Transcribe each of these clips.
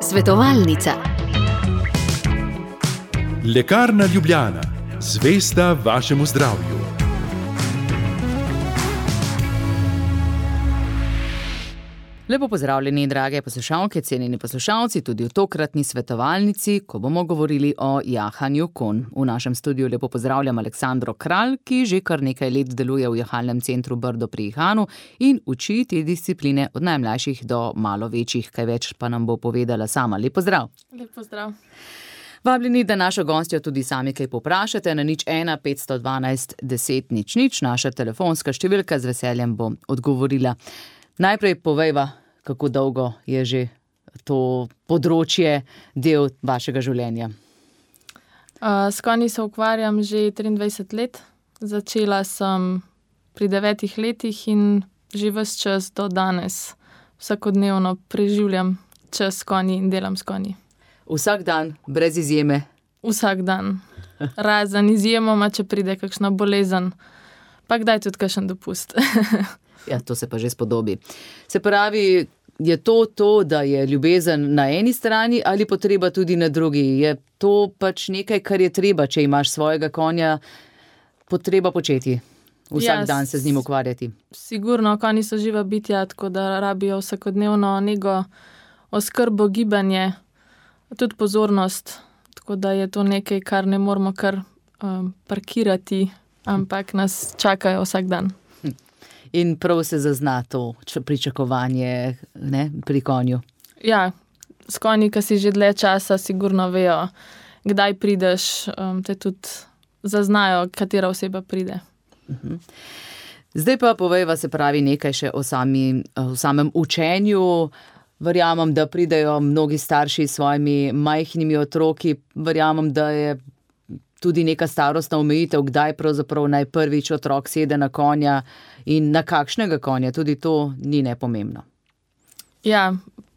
Svetovalnica. Lekarna Ljubljana, zvesta vašemu zdravju. Lepo pozdravljeni, drage poslušalke, cenjeni poslušalci, tudi v tokratni svetovalnici, ko bomo govorili o jahanju konj. V našem studiu lepo pozdravljam Aleksandro Kralj, ki že kar nekaj let deluje v jahalnem centru Brdo pri Ihanu in uči te discipline od najmlajših do malo večjih, kaj več pa nam bo povedala sama. Lep pozdrav. Lep pozdrav. Vabljeni, da našo gostjo tudi sami kaj poprašate na 01 512 10 00, naša telefonska številka, z veseljem bom odgovorila. Najprej povejva, kako dolgo je že to področje del vašega življenja. S konji se ukvarjam že 23 let. Začela sem pri 9 letih in že ves čas do danes vsakodnevno preživljam čas s konji in delam s konji. Vsak dan, brez izjeme? Vsak dan. Razen izjemoma, če pride kakšna bolezen, pa kdaj tudi kakšen dopust. Ja, to se pa že spodobi. Se pravi, je to, da je ljubezen na eni strani ali potreba tudi na drugi? Je to pač nekaj, kar je treba, če imaš svojega konja, potreba početi? Vsak dan se z njim ukvarjati? Sigurno, konji so živa bitja, tako da rabijo vsakodnevno nego, oskrbo, gibanje, tudi pozornost. Tako da je to nekaj, kar ne moramo kar parkirati, ampak nas čakajo vsak dan. In prav se zazna to pričakovanje, ne, pri konju. Ja, s konji, ki si že dlje časa, sigurno vejo, kdaj prideš, te tudi zaznajo, katera oseba pride. Zdaj pa povejva, se pravi, nekaj še o samem učenju. Verjamem, da pridejo mnogi starši s svojimi majhnimi otroki. Verjamem, da je tudi neka starostna omejitev, kdaj pravzaprav naj prvič otrok sede na konja in na kakšnega konja. Tudi to ni nepomembno. Ja,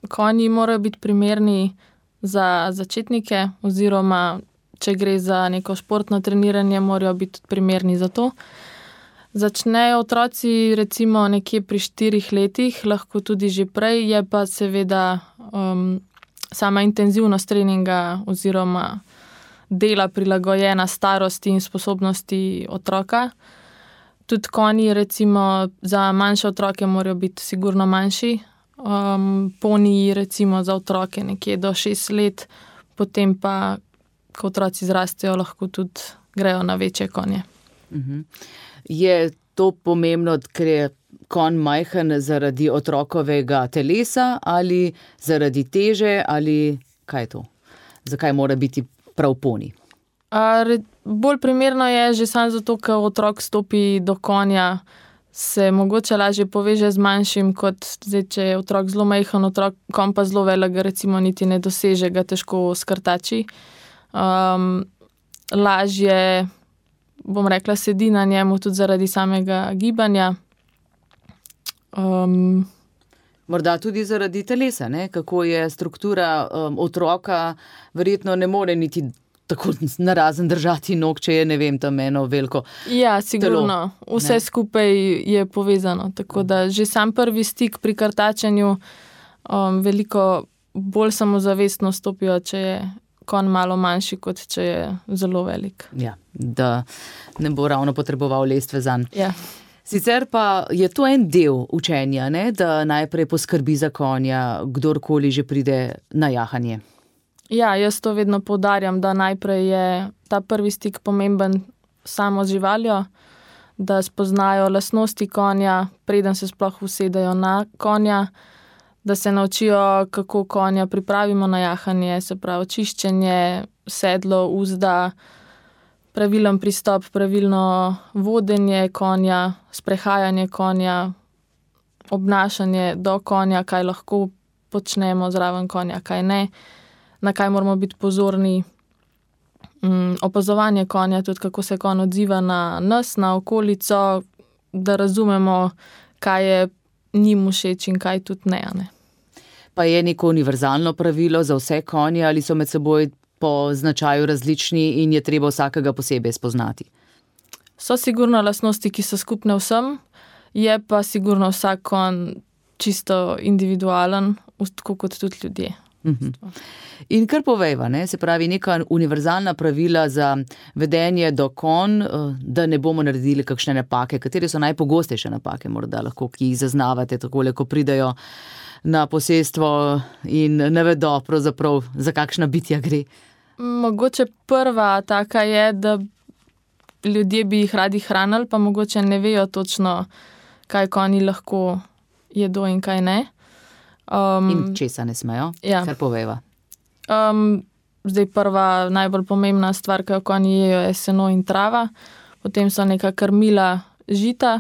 konji morajo biti primerni za začetnike oziroma, če gre za neko športno treniranje, morajo biti primerni za to. Začnejo otroci recimo nekje pri 4 letih, lahko tudi že prej, je pa seveda sama intenzivnost treninga oziroma dela prilagojena starosti in sposobnosti otroka. Tudi konji recimo za manjše otroke morajo biti sigurno manjši. Poniji recimo za otroke nekje do 6 let, potem pa, ko otroci zrastejo, lahko tudi grejo na večje konje. Je to pomembno, ker je konj majhen zaradi otrokovega telesa ali zaradi teže ali kaj je to? Zakaj mora biti prav poni? Bolj primerno je že samo zato, ker otrok stopi do konja, se mogoče lažje poveže z manjšim, kot zdaj, če je otrok zelo majhen, konj pa zelo velik, ga recimo niti ne doseže, ga težko skrtači. Lažje, bom rekla, sedi na njemu tudi zaradi samega gibanja. Morda tudi zaradi telesa, ne? Kako je struktura otroka, verjetno ne more niti tako narazen držati nog, če je, ne vem, tam eno veliko telo. Ja, sigurno. Vse skupaj je povezano, tako da že sam prvi stik pri krtačenju veliko bolj samozavestno stopijo, če je konj malo manjši, kot če je zelo velik. Ja, da ne bo ravno potreboval lestve zanj. Ja. Sicer pa je to en del učenja, ne? Da najprej poskrbi za konja, kdorkoli že pride na jahanje. Ja, jaz to vedno poudarjam, da najprej je ta prvi stik pomemben samo z živaljo, da spoznajo lastnosti konja, preden se sploh usedejo na konja, da se naučijo, kako konja pripravimo na jahanje, se pravi čiščenje, sedlo, uzda, pravilen pristop, pravilno vodenje konja, sprehajanje konja, obnašanje do konja, kaj lahko počnemo zraven konja, kaj ne, na kaj moramo biti pozorni, opazovanje konja, tudi kako se konj odziva na nas, na okolico, da razumemo, kaj je njim všeč in kaj tudi ne. Pa je neko univerzalno pravilo za vse konje ali so med seboj po značaju različni in je treba vsakega posebej spoznati? So sigurno lastnosti, ki so skupne vsem, je pa sigurno vsak konj čisto individualen, tako kot tudi ljudje. In kar povejva, se pravi neka univerzalna pravila za vedenje do konj, da ne bomo naredili kakšne napake. Katere so najpogostejše napake, morda lahko, ki jih zaznavate takole, ko pridejo na posestvo in ne vedo pravzaprav, za kakšna bitja gre? Mogoče prva taka je, da ljudje bi jih radi hranili, pa mogoče ne vejo točno, kaj konji lahko jedo in kaj ne. In česa ne smejo? Ja. Kar povejva. Zdaj prva najbolj pomembna stvar, ki jo konji jejo, je seno in trava, potem so neka krmila žita,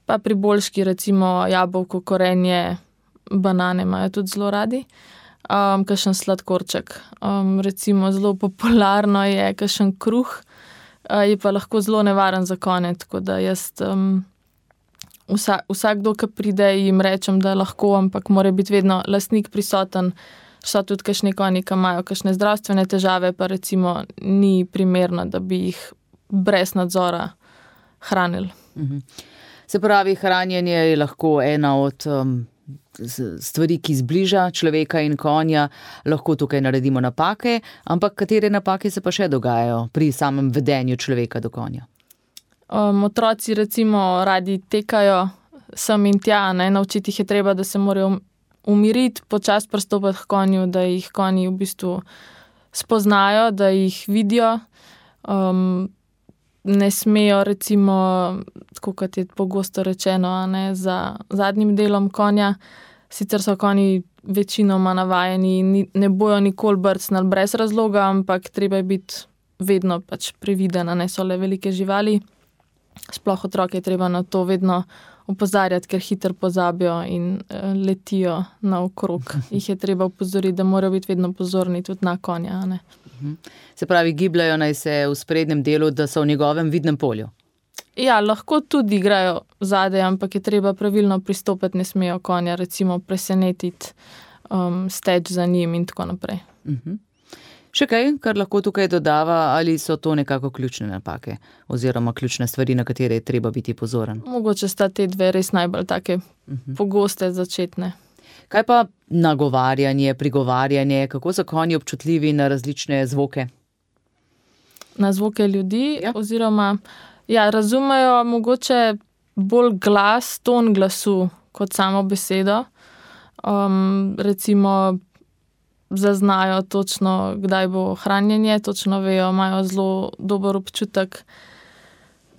pa pri boljški recimo jabolko, korenje, banane imajo tudi zelo radi, kakšen sladkorček. Recimo zelo popularno je kakšen kruh, je pa lahko zelo nevaren za konje, tako da jaz vsakdo, ki pride, jim rečem, da lahko, ampak mora biti vedno lastnik prisoten. So tudi kakšni konji, ki imajo kakšne zdravstvene težave, pa recimo ni primerno, da bi jih brez nadzora hranili. Se pravi, hranjenje je lahko ena od stvari, ki zbliža človeka in konja. Lahko tukaj naredimo napake, ampak katere napake se pa še dogajajo pri samem vedenju človeka do konja? Otroci recimo radi tekajo sem in tja, naučiti jih je treba, da se morajo umiriti, počasi pristopiti k konju, da jih konji v bistvu spoznajo, da jih vidijo. Ne smejo recimo, tako kot je pogosto rečeno, za zadnjim delom konja. Sicer so konji večinoma navajeni in ne bojo nikoli brcnili brez razloga, ampak treba je biti vedno pač previden, so le velike živali. Sploh otroke je treba na to vedno opozarjati, ker hitro pozabijo in letijo naokrog. Jih je treba opozoriti, da morajo biti vedno pozorni tudi na konja. Se pravi, gibljajo naj se v sprednjem delu, da so v njegovem vidnem polju? Ja, lahko tudi igrajo zadaj, ampak je treba pravilno pristopiti, ne smejo konja recimo presenetiti, steči za njim in tako naprej. Še kaj, kar lahko tukaj dodava, ali so to nekako ključne napake oziroma ključne stvari, na katere je treba biti pozoren? Mogoče sta te dve res najbolj take pogoste začetne. Kaj pa nagovarjanje, prigovarjanje, kako so konji občutljivi na različne zvoke? Na zvoke ljudi, oziroma razumejo mogoče bolj glas, ton glasu kot samo besedo. Recimo zaznajo točno, kdaj bo hranjenje, točno vejo, imajo zelo dober občutek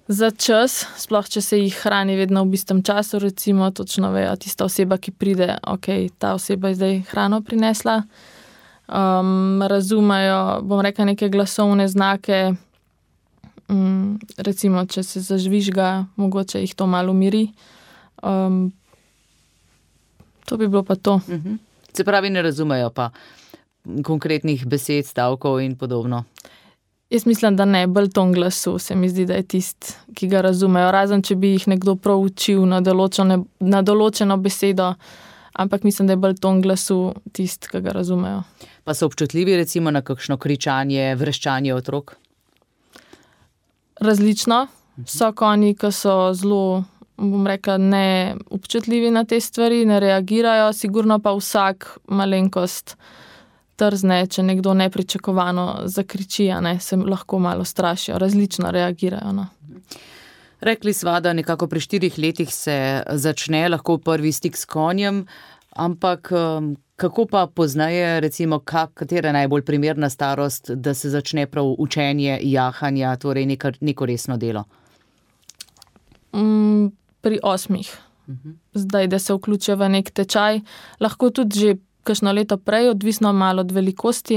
za čas, sploh če se jih hrani vedno v istem času, recimo točno vejo, tista oseba, ki pride, ta oseba je zdaj hrano prinesla. Razumejo, bom rekla, neke glasovne znake, recimo, če se zažvižga, mogoče jih to malo umiri. To bi bilo pa to. Se pravi, ne razumejo pa konkretnih besed, stavkov in podobno? Jaz mislim, da ne, bolj ton glasu se mi zdi, da je tisti, ki ga razumejo. Razen, če bi jih nekdo prav učil na določeno besedo, ampak mislim, da je bolj ton glasu tisti, ki ga razumejo. Pa so občutljivi recimo na kakšno kričanje, vreščanje otrok? Različno. So konji, ki so zelo, bom rekla, ne občutljivi na te stvari, ne reagirajo, sigurno pa vsak malenkost trzne, če nekdo nepričakovano zakriči, se lahko malo strašijo, različno reagirajo. Rekli sva, da nekako pri 4 letih se začne lahko prvi stik s konjem, ampak kako pa pozneje, recimo, katera je najbolj primerna starost, da se začne prav učenje jahanja, torej neko resno delo? Pri 8. Zdaj, da se vključijo v nek tečaj, lahko tudi že kakšno leto prej, odvisno malo od velikosti,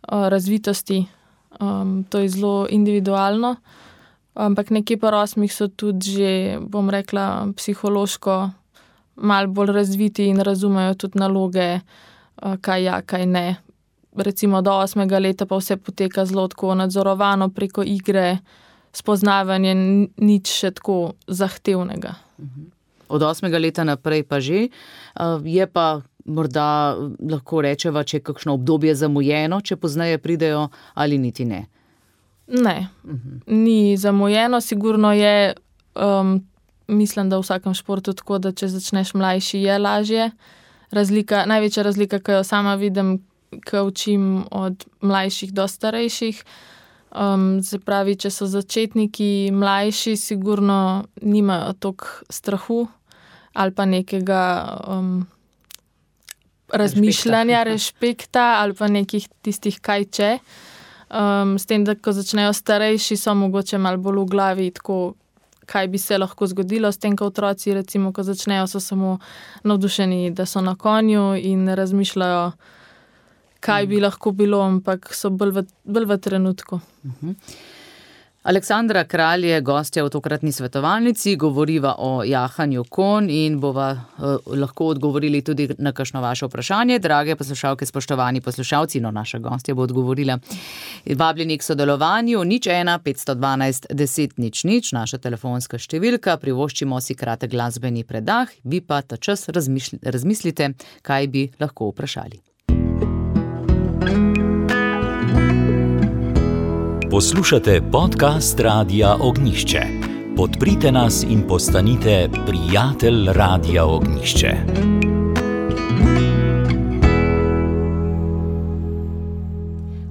razvitosti. To je zelo individualno, ampak nekje po 8 so tudi že, bom rekla, psihološko malo bolj razviti in razumejo tudi naloge, kaj ja, kaj ne. Recimo do 8. leta pa vse poteka zelo tako nadzorovano preko igre, spoznavanje, nič še tako zahtevnega. Od 8. leta naprej pa že, je pa morda lahko rečeva, če je kakšno obdobje zamujeno, če pozneje pridejo ali niti ne? Ne, ni zamujeno, sigurno je mislim, da v vsakem športu tako, da če začneš mlajši, je lažje. Največja razlika, ki jo sama vidim, ko učim od mlajših do starejših, se pravi, če so začetniki mlajši, sigurno nimajo toliko strahu ali pa nekega razmišljanja, respekta ali pa nekih tistih kaj če. S tem, da ko začnejo starejši, so mogoče malo bolj v glavi tako, kaj bi se lahko zgodilo, s tem, ko otroci, recimo, ko začnejo, so samo navdušeni, da so na konju in ne razmišljajo, kaj bi lahko bilo, ampak so bolj v trenutku. Aleksandra Kralj je gostja v tokratni svetovalnici, govoriva o jahanju konj in bova lahko odgovorili tudi na kakšno vaše vprašanje. Drage poslušalke, spoštovani poslušalci, naša gostja bo odgovorila. Vabljeni k sodelovanju 01 512 10 00, naša telefonska številka, privoščimo si kratek glasbeni predah, vi pa ta čas razmislite, kaj bi lahko vprašali. Poslušate podcast Radia Ognjišče. Podprite nas in postanite prijatelj Radia Ognjišče.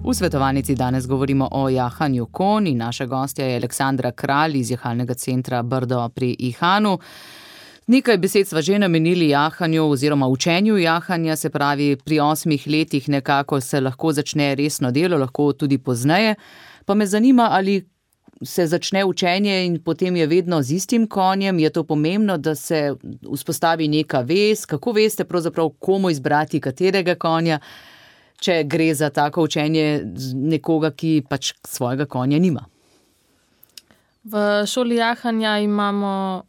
V svetovalnici danes govorimo o jahanju konj in naša gostja je Aleksandra Kralj iz Jahalnega centra Brdo pri Ihanu. Nekaj besed sva že namenili jahanju oziroma učenju jahanja, se pravi pri 8 letih nekako se lahko začne resno delo, lahko tudi pozneje. Pa me zanima, ali se začne učenje in potem je vedno z istim konjem, je to pomembno, da se vzpostavi neka vez, kako veste pravzaprav komu izbrati katerega konja, če gre za tako učenje nekoga, ki pač svojega konja nima. V šoli jahanja imamo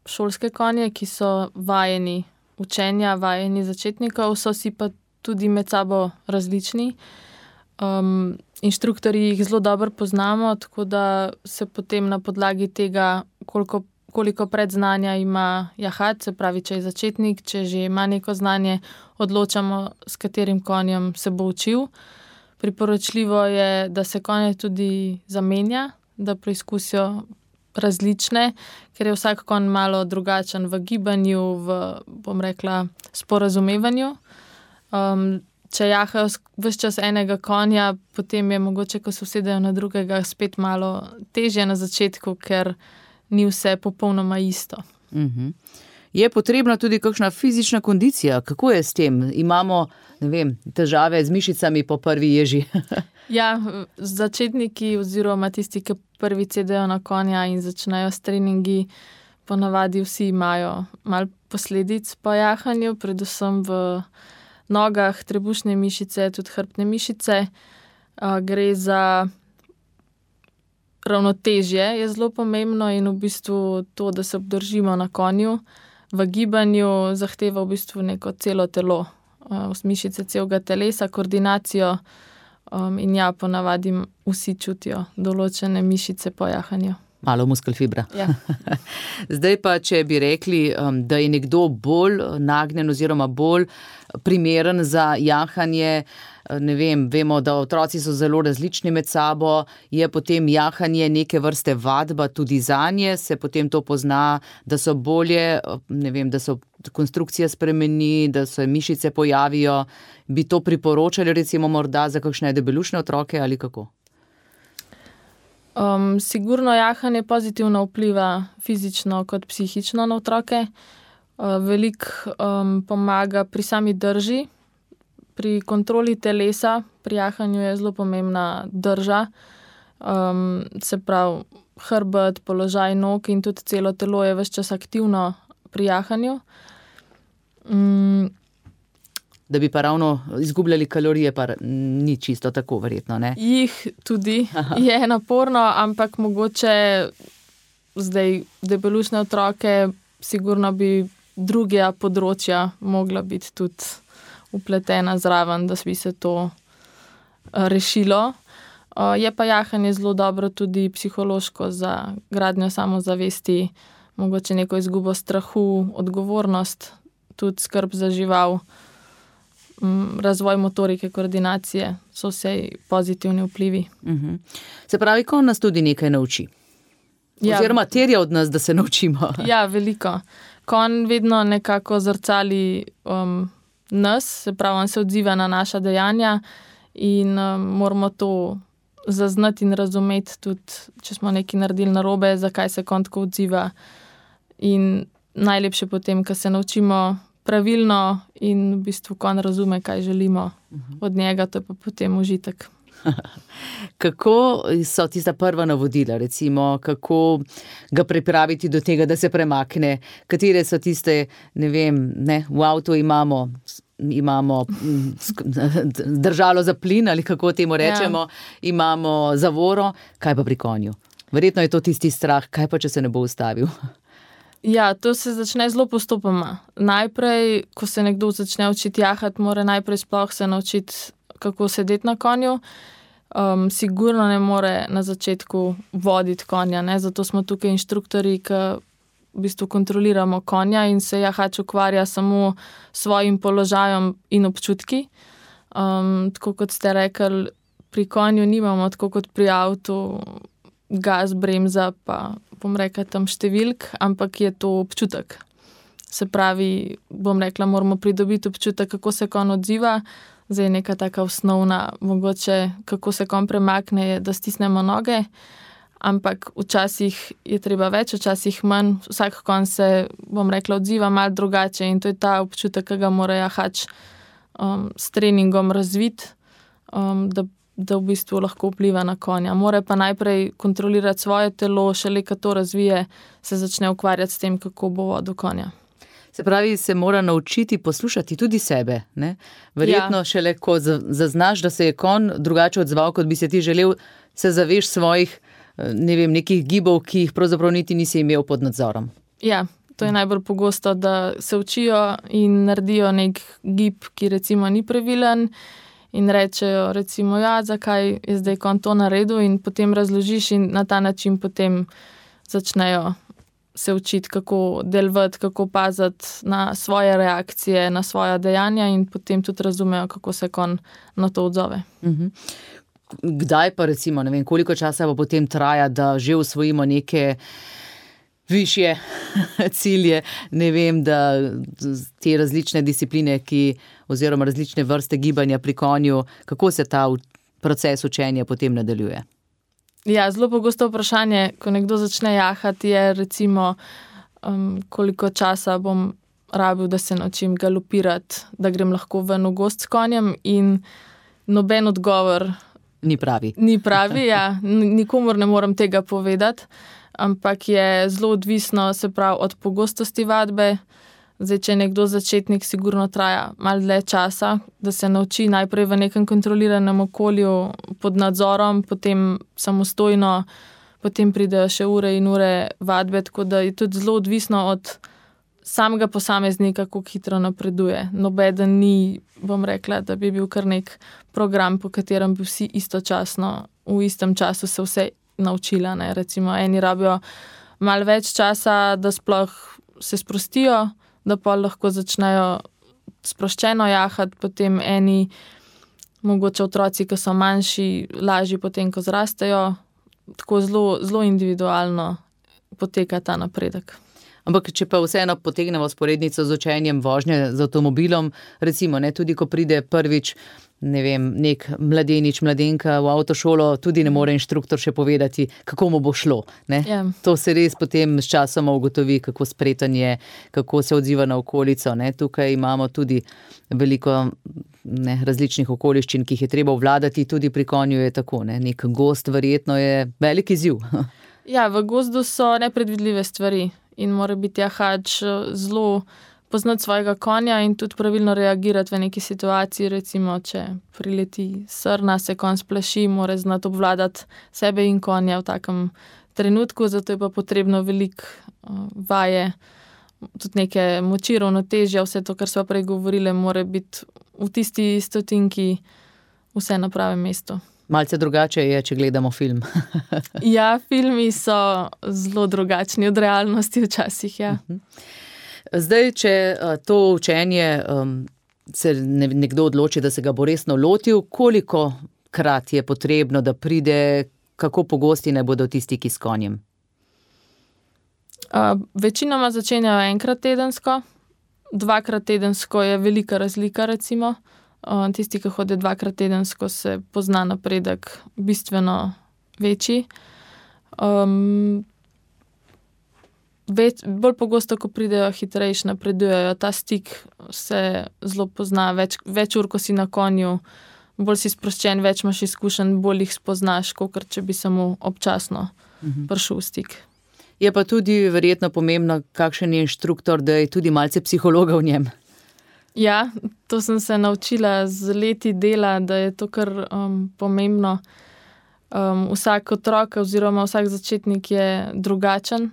šolske konje, ki so vajeni učenja, vajeni začetnikov, so si pa tudi med sabo različni. Inštruktorji jih zelo dobro poznamo, tako da se potem na podlagi tega, koliko predznanja ima jahat, se pravi, če je začetnik, če že ima neko znanje, odločamo, s katerim konjem se bo učil. Priporočljivo je, da se konje tudi zamenja, da preizkusijo različne, ker je vsak konj malo drugačen v gibanju, bom rekla, sporazumevanju. Če jahajo ves čas enega konja, potem je mogoče, ko se usedejo na drugega, spet malo težje na začetku, ker ni vse popolnoma isto. Je potrebna tudi kakšna fizična kondicija? Kako je s tem? Imamo, težave z mišicami po prvi ježi. Ja, začetniki oziroma tisti, ki prvi sedejo na konja in začnejo s treningi, ponavadi vsi imajo malo posledic po jahanju, predvsem v nogah, trebušne mišice, tudi hrbtne mišice. Gre za ravnotežje, je zelo pomembno in v bistvu to, da se obdržimo na konju. V gibanju zahteva v bistvu neko celo telo, mišice celega telesa, koordinacijo in ja, ponavadi vsi čutijo določene mišice po jahanju. Malo muskelfibra. Ja. Zdaj pa, če bi rekli, da je nekdo bolj nagnjen oziroma bolj primeren za jahanje, vemo, da otroci so zelo različni med sabo, je potem jahanje neke vrste vadba tudi zanje, se potem to pozna, da so bolje, da so konstrukcija spremeni, da se mišice pojavijo. Bi to priporočali recimo morda za kakšne debelušne otroke ali kako? Sigurno jahanje pozitivno vpliva fizično kot psihično na otroke. Veliko pomaga pri sami drži, pri kontroli telesa, pri jahanju je zelo pomembna drža, se pravi hrbet, položaj nog in tudi celo telo je ves čas aktivno pri jahanju. Da bi pa ravno izgubljali kalorije, pa ni čisto tako verjetno, ne? Jih tudi je naporno, ampak mogoče zdaj debelušne otroke, sigurno bi druga področja mogla biti tudi upletena zraven, da bi se to rešilo. Je pa jahanje zelo dobro tudi psihološko za gradnjo samozavesti, mogoče neko izgubo strahu, odgovornost, tudi skrb za žival. Razvoj motorike, koordinacije, so vse pozitivni vplivi. Se pravi, ko nas tudi nekaj nauči? Oziroma terja od nas, da se naučimo. Ja, veliko. Konj vedno nekako zrcali nas, se pravi, on se odziva na naša dejanja in moramo to zaznati in razumeti tudi, če smo nekaj naredili narobe, zakaj se konj tako odziva. In najlepše potem, ko se naučimo pravilno in v bistvu konj razume, kaj želimo od njega, to je pa potem užitek. Kako so tista prva navodila, recimo, kako ga pripraviti do tega, da se premakne? Katere so tiste, v avtu imamo držalo za plin ali kako temu rečemo, imamo zavoro, kaj pa pri konju? Verjetno je to tisti strah, kaj pa, če se ne bo ustavil? Ja, to se začne zelo postopoma. Najprej, ko se nekdo začne učiti jahati, mora najprej sploh se naučiti, kako sedeti na konju. Sigurno ne more na začetku voditi konja, ne? Zato smo tukaj inštruktorji, ki v bistvu kontroliramo konja in se jahač ukvarja samo s svojim položajem in občutki. Tako kot ste rekli, pri konju nimamo tako kot pri avtu gas, bremza, pa bom rekla tam številk, ampak je to občutek. Se pravi, bom rekla, moramo pridobiti občutek, kako se konj odziva. Zdaj neka taka osnovna, mogoče kako se konj premakne, je, da stisnemo noge, ampak včasih je treba več, včasih manj. Vsak konj se, bom rekla, odziva malo drugače in to je ta občutek, ki ga mora jahač s treningom razviti, da v bistvu lahko vpliva na konja. Mora pa najprej kontrolirati svoje telo, šele ko to razvije, se začne ukvarjati s tem, kako bo vodil konja. Se pravi, se mora naučiti poslušati tudi sebe, ne? Verjetno šele, ko zaznaš, da se je konj drugače odzval, kot bi se ti želel, se zaveš svojih, nekih gibov, ki jih pravzaprav niti nisi imel pod nadzorom. Ja, to je najbolj pogosto, da se učijo in naredijo nek gib, ki recimo ni pravilen in rečejo recimo, zakaj je zdaj konj to naredil in potem razložiš in na ta način potem začnejo se učiti, kako delovati, kako paziti na svoje reakcije, na svoja dejanja in potem tudi razumejo, kako se konj na to odzove. Kdaj pa recimo, koliko časa pa potem traja, da že usvojimo neke višje cilje, da te različne discipline, oziroma različne vrste gibanja pri konju, kako se ta proces učenja potem nadaljuje? Ja, zelo pogosto vprašanje, ko nekdo začne jahati, je recimo, koliko časa bom rabil, da se naučim galopirati, da grem lahko ven v gozd s konjem in noben odgovor ni pravi. Ni pravi, ja. Nikomur ne morem tega povedati, ampak je zelo odvisno, se pravi, od pogostosti vadbe. Zdaj, če je nekdo začetnik, sigurno traja malo dlje časa, da se nauči najprej v nekem kontroliranem okolju pod nadzorom, potem samostojno, potem pridejo še ure in ure vadbe, tako da je tudi zelo odvisno od samega posameznika, kako hitro napreduje. Nobeden ni, bom rekla, da bi bil kar nek program, po katerem bi vsi istočasno, v istem času se vse naučila, ne. Recimo, eni rabijo malo več časa, da sploh se sprostijo, da pa lahko začnejo sproščeno jahati, potem eni, mogoče otroci, ki so manjši, lažji potem, ko zrastejo. Tako zelo, zelo individualno poteka ta napredek. Ampak, če pa vseeno potegnemo vzporednico z učenjem vožnje z avtomobilom, recimo, tudi ko pride prvič, nek mladenič, mladenka v avtošolo, tudi ne more inštruktor še povedati, kako mu bo šlo, ne? Ja. To se res potem s časoma ugotovi, kako spreten je, kako se odziva na okolico, ne? Tukaj imamo tudi veliko različnih okoliščin, ki jih je treba obvladati, tudi pri konju je tako, ne? Nek gozd verjetno je velik izziv. Ja, v gozdu so nepredvidljive stvari in mora biti jahač zelo poznati svojega konja in tudi pravilno reagirati v neki situaciji, recimo, če prileti srna, se konj splaši, mora znati obvladati sebe in konja v takem trenutku, zato je pa potrebno veliko vaje, tudi neke moči, ravnotežja, vse to, kar sva prej govorili, mora biti v tisti stotinki vse na pravem mestu. Malce drugače je, če gledamo film. Ja, filmi so zelo drugačni od realnosti včasih, ja. Zdaj, če to učenje se nekdo odloči, da se ga bo resno lotil, koliko krat je potrebno, da pride, kako pogosti naj bodo ti stiki s konjem? Večinoma začenjajo enkrat tedensko, 2krat tedensko je velika razlika, recimo. Tisti, ki hodijo 2krat tedensko, se pozna napredek bistveno večji. Bolj pogosto, ko pridejo hitrejši, napredujejo, ta stik se zelo pozna, več ur, ko si na konju, bolj si sproščen, več imaš izkušenj, bolj jih spoznaš, kakor če bi samo občasno prišel v stik. Je pa tudi verjetno pomembno, kakšen je inštruktor, da je tudi malce psihologa v njem. Ja, to sem se naučila z leti dela, da je to kar pomembno. Vsak otrok oziroma vsak začetnik je drugačen.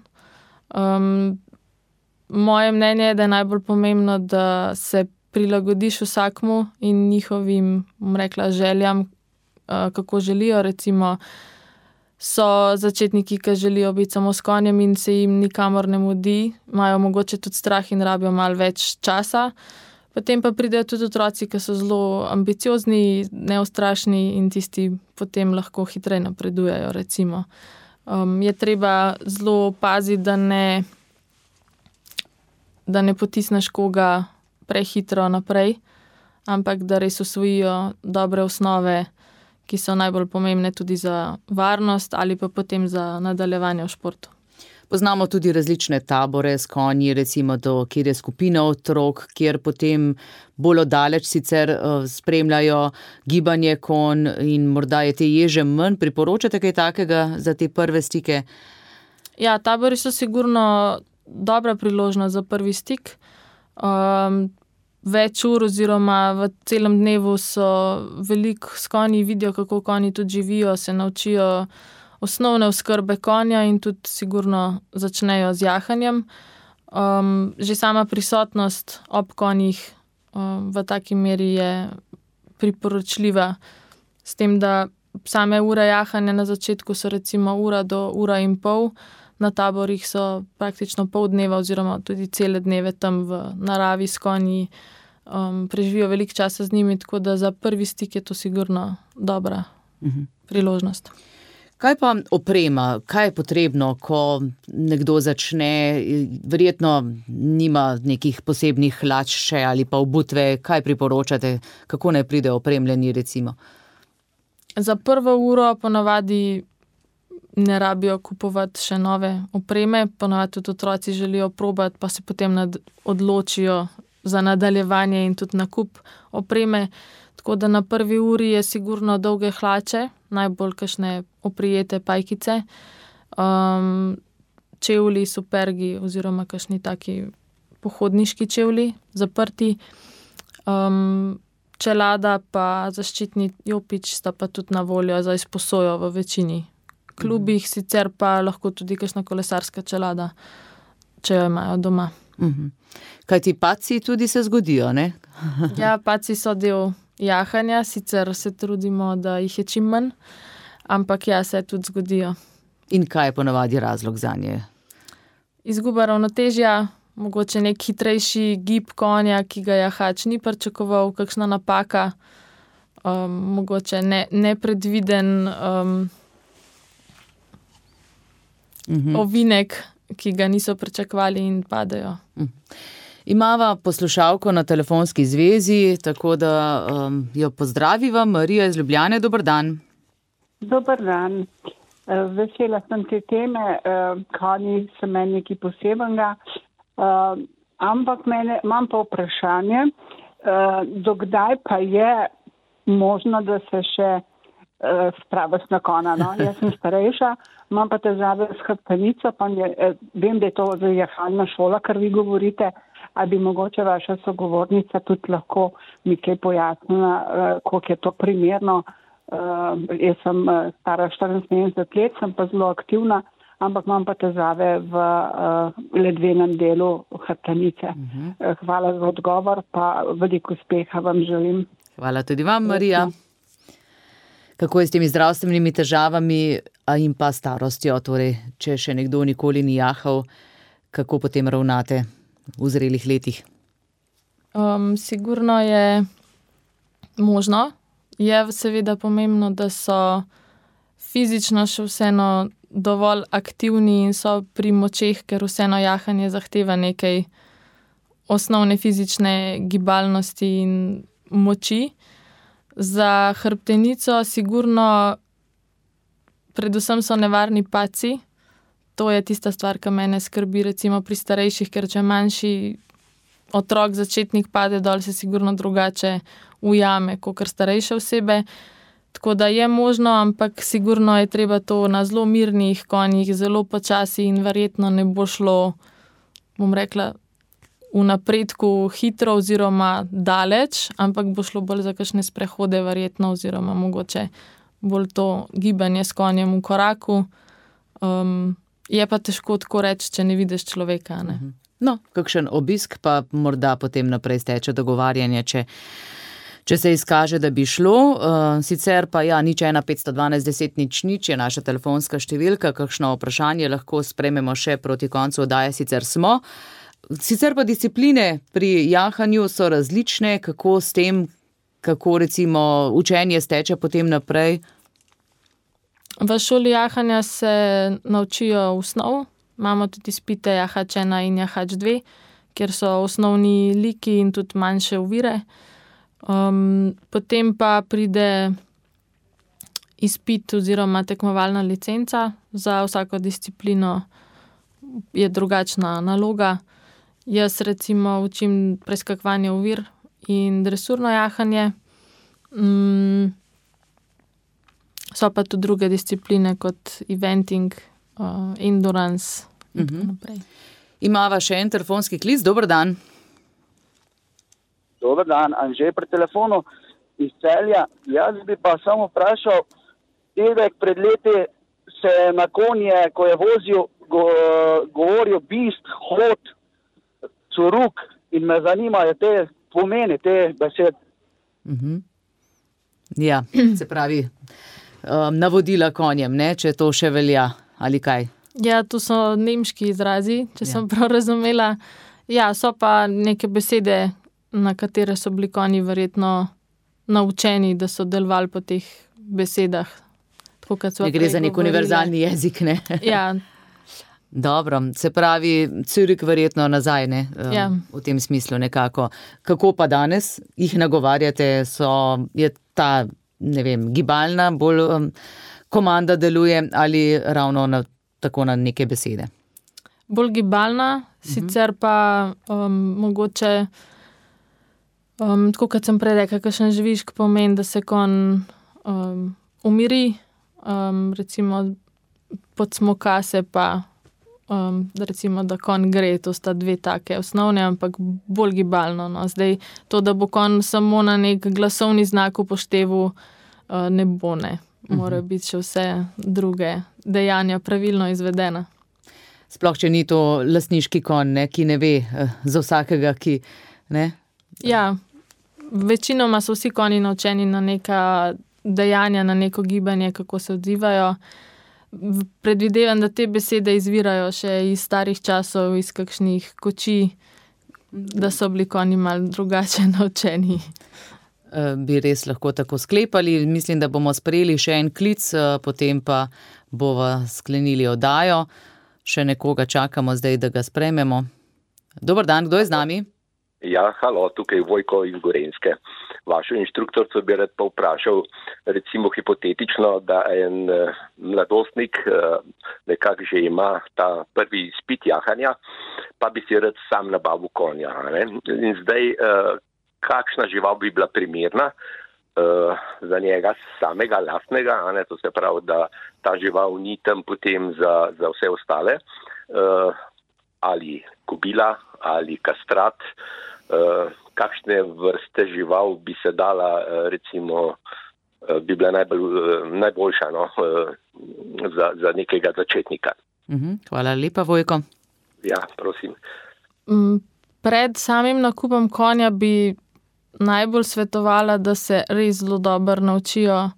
Moje mnenje je, da je najbolj pomembno, da se prilagodiš vsakmu in njihovim, bom rekla, željam, kako želijo. Recimo, so začetniki, ki želijo biti samo s konjem in se jim nikamor ne mudi, imajo mogoče tudi strah in rabijo malo več časa. Potem pa pridejo tudi otroci, ki so zelo ambiciozni, neustrašni in tisti potem lahko hitreje napredujejo, recimo. Je treba zelo paziti, da ne potisneš koga prehitro naprej, ampak da res usvojijo dobre osnove, ki so najbolj pomembne tudi za varnost ali pa potem za nadaljevanje v športu. Poznamo tudi različne tabore s konji, recimo kjer je skupina otrok, kjer potem bolj oddaleč sicer spremljajo gibanje konj in morda je te ježe manj. Priporočate kaj takega za te prve stike? Ja, tabori so sigurno dobra priložnost za prvi stik. Več ur oziroma v celem dnevu so veliko s konji, vidijo, kako konji tudi živijo, se naučijo osnovne oskrbe konja in tudi sigurno začnejo z jahanjem. Že sama prisotnost ob konjih v taki meri je priporočljiva, s tem, da same ure jahanja na začetku so recimo 1 do 1,5 ure, na taborih so praktično pol dneva oziroma tudi cele dneve tam v naravi s konji, preživijo veliko časa z njimi, tako da za prvi stik je to sigurno dobra priložnost. Kaj pa oprema? Kaj je potrebno, ko nekdo začne, verjetno nima nekih posebnih hlač še ali pa obutve? Kaj priporočate? Kako naj pridejo opremljeni, recimo? Za prvo uro ponavadi ne rabijo kupovati še nove opreme, ponavadi tudi otroci želijo probati, pa se potem odločijo za nadaljevanje in tudi nakup opreme. Tako da na prvi uri je sigurno dolge hlače, najbolj kakšne oprijete pajkice, čevlji, supergi oziroma kakšni taki pohodniški čevlji, zaprti, čelada pa zaščitni jopič sta pa tudi na voljo za izposojo v večini klubih, sicer pa lahko tudi kakšna kolesarska čelada, če jo imajo doma. Kaj ti padci tudi se zgodijo, ne? Ja, padci so del jahanja, sicer se trudimo, da jih je čim manj, ampak ja, se tudi zgodijo. In kaj je ponavadi razlog zanje? Izguba ravnotežja, mogoče nek hitrejši gib konja, ki ga jahač ni pričakoval, kakšna napaka, mogoče nepredviden ovinek, ki ga niso pričakovali in padejo. Imava poslušalko na telefonski zvezi, tako da jo pozdraviva. Marija iz Ljubljane, dober dan. Dober dan. Vesela sem te teme, konji so meni nekaj posebnega, ampak imam pa vprašanje, dokdaj pa je možno, da se še spraviš na konja, no? Jaz sem starejša, imam pa težave s hrbtenico, pa vem, da je to jahalna šola, kar vi govorite, ali bi mogoče vaša sogovornica tudi lahko mi kaj pojasnila, koliko je to primerno. Jaz sem stara 74 let, sem pa zelo aktivna, ampak imam pa težave v ledvenem delu hrbtenice. Hvala za odgovor, pa veliko uspeha vam želim. Hvala tudi vam, Marija. Kako je s temi zdravstvenimi težavami in pa starostjo, torej, če še nekdo nikoli ni jahal, kako potem ravnate v zrelih letih? Sigurno je možno. Je seveda pomembno, da so fizično še vseeno dovolj aktivni in so pri močeh, ker vseeno jahanje zahteva nekaj osnovne fizične gibalnosti in moči. Za hrbtenico sigurno predvsem so nevarni padci. To je tista stvar, ki mene skrbi recimo pri starejših, ker če manjši otrok, začetnik pade dol, se sigurno drugače ujame, kot starejše osebe. Tako da je možno, ampak sigurno je treba to na zelo mirnih konjih, zelo počasi in verjetno ne bo šlo, bom rekla, v napredku hitro oziroma daleč, ampak bo šlo bolj za kakšne sprehode verjetno oziroma mogoče bolj to gibanje s konjem v koraku. Je pa težko tako reči, če ne vidiš človeka, ne. No, kakšen obisk pa morda potem naprej steče dogovarjanje, če se izkaže, da bi šlo. Sicer pa 01 512 10 00 je naša telefonska številka, kakšno vprašanje lahko sprejmemo še proti koncu oddaje, sicer smo. Sicer pa discipline pri jahanju so različne, kako s tem, kako recimo učenje steče potem naprej. V šoli jahanja se naučijo osnov. Imamo tudi izpite jahač 1 in jahač 2, kjer so osnovni liki in tudi manjše ovire. Potem pa pride izpit oziroma tekmovalna licenca. Za vsako disciplino je drugačna naloga. Jaz recimo učim preskakovanje ovir in dresurno jahanje. So pa tudi druge discipline kot eventing, endurance in tako naprej. Imava še en telefonski klic. Dober dan. Dober dan, Anže pri telefonu iz Celja. Jaz bi pa samo vprašal, dedek pred leti se na konje, ko je vozil, govoril bist, hod, curuk in me zanimajo te pomeni, te besede. Ja, se pravi, navodila konjem, ne, če to še velja, ali kaj? Ja, to so nemški izrazi, če sem prav razumela. Ja, so pa neke besede, na katere so bili konji verjetno naučeni, da so delovali po teh besedah. Tako, kot sva ne gre za nek univerzalni jezik, ne? Ja. Dobro, se pravi, Zürich verjetno nazaj, ne? V tem smislu nekako. Kako pa danes jih nagovarjate? Je ta, ne vem, gibalna, bolj komanda deluje ali ravno tako na neke besede? Bolj gibalna, sicer pa mogoče, tako kot sem prej rekla, kakšen žvižg pomeni, da se konj umiri, recimo podsmoka se pa, recimo, da konj gre, to sta dve take osnovne, ampak bolj gibalno. No. Zdaj, to, da bo konj samo na nek glasovni znak upošteval, ne bo, ne. Morajo biti še vse druge dejanja pravilno izvedena. Sploh, če ni to lastniški konj, ne, ki ne ve za vsakega, ki, ne? Ja, večinoma so vsi konji naučeni na neka dejanja, na neko gibanje, kako se odzivajo. Predvidevam, da te besede izvirajo še iz starih časov, iz kakšnih koči, da so bili konji malo drugače naučeni. Bi res lahko tako sklepali. Mislim, da bomo sprejeli še en klic, potem pa bova sklenili oddajo. Še nekoga čakamo zdaj, da ga sprejmemo. Dober dan, kdo je z nami? Ja, halo, tukaj Vojko iz Gorenjske. Vašo inštruktorico bi rad pa vprašal, recimo hipotetično, da en mladostnik nekako že ima ta prvi izpit jahanja, pa bi si rad sam nabavil konja. Ne? In zdaj, kakšna žival bi bila primerna za njega samega lastnega, ne? To se pravi, da ta žival ni tam potem za vse ostale, ali kobila, ali kastrat, kakšne vrste žival bi se dala, recimo, bi bila najboljša, no, za nekega začetnika. Hvala lepa, Vojko. Ja, prosim. Pred samim nakupom konja bi najbolj svetovala, da se res zelo dobro naučijo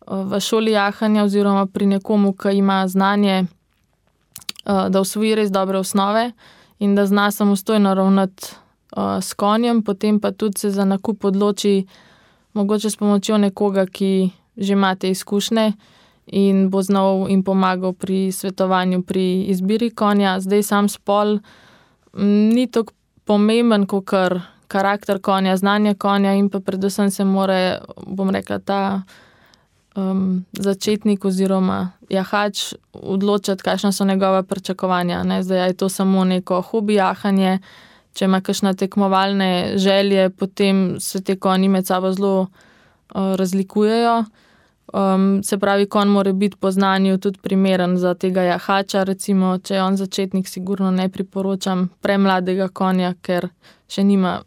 v šoli jahanja oziroma pri nekomu, ki ima znanje, da usvoji res dobre osnove in da zna samostojno ravnati s konjem, potem pa tudi se za nakup odloči mogoče s pomočjo nekoga, ki že ima te izkušnje in bo znal in pomagal pri svetovanju, pri izbiri konja. Zdaj sam spol ni tako pomemben, kakor karakter konja, znanje konja in pa predvsem se mora, bom rekla, ta začetnik oziroma jahač odločiti, kakšna so njegove pričakovanja. Ne? Zdaj je to samo neko hobi jahanje, če ima kakšne tekmovalne želje, potem se te konji med sabo zelo razlikujejo. Se pravi, konj mora biti po znanju tudi primeren za tega jahača, recimo, če je on začetnik, sigurno ne priporočam premladega konja, ker še nima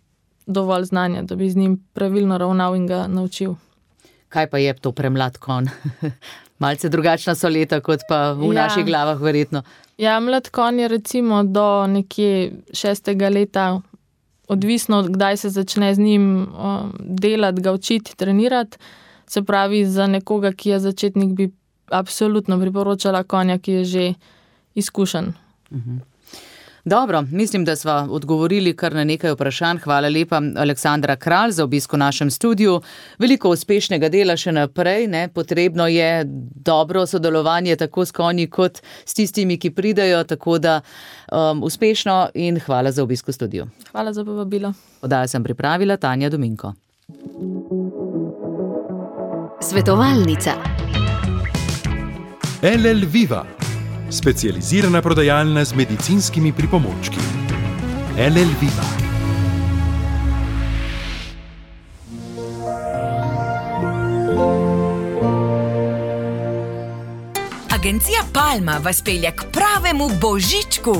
dovolj znanja, da bi z njim pravilno ravnal in ga naučil. Kaj pa je to premlad konj? Malce drugačna so leta, kot pa v naših glavah verjetno. Ja, mlad konj je recimo do nekje 6. leta, odvisno, kdaj se začne z njim delati, ga učiti, trenirati. Se pravi, za nekoga, ki je začetnik, bi absolutno priporočala konja, ki je že izkušen. Dobro, mislim, da sva odgovorili kar na nekaj vprašanj. Hvala lepa, Aleksandra Kralj, za obisk v našem studiu. Veliko uspešnega dela še naprej, ne? Potrebno je dobro sodelovanje tako s konji kot s tistimi, ki pridejo, tako da uspešno in hvala za obisk v studiu. Hvala za povabilo. Oddajo sem pripravila Tanja Dominko. Svetovalnica. LL Viva, specializirana prodajalna z medicinskimi pripomočki. LL Viva. Agencija Palma vas pelje k pravemu božičku.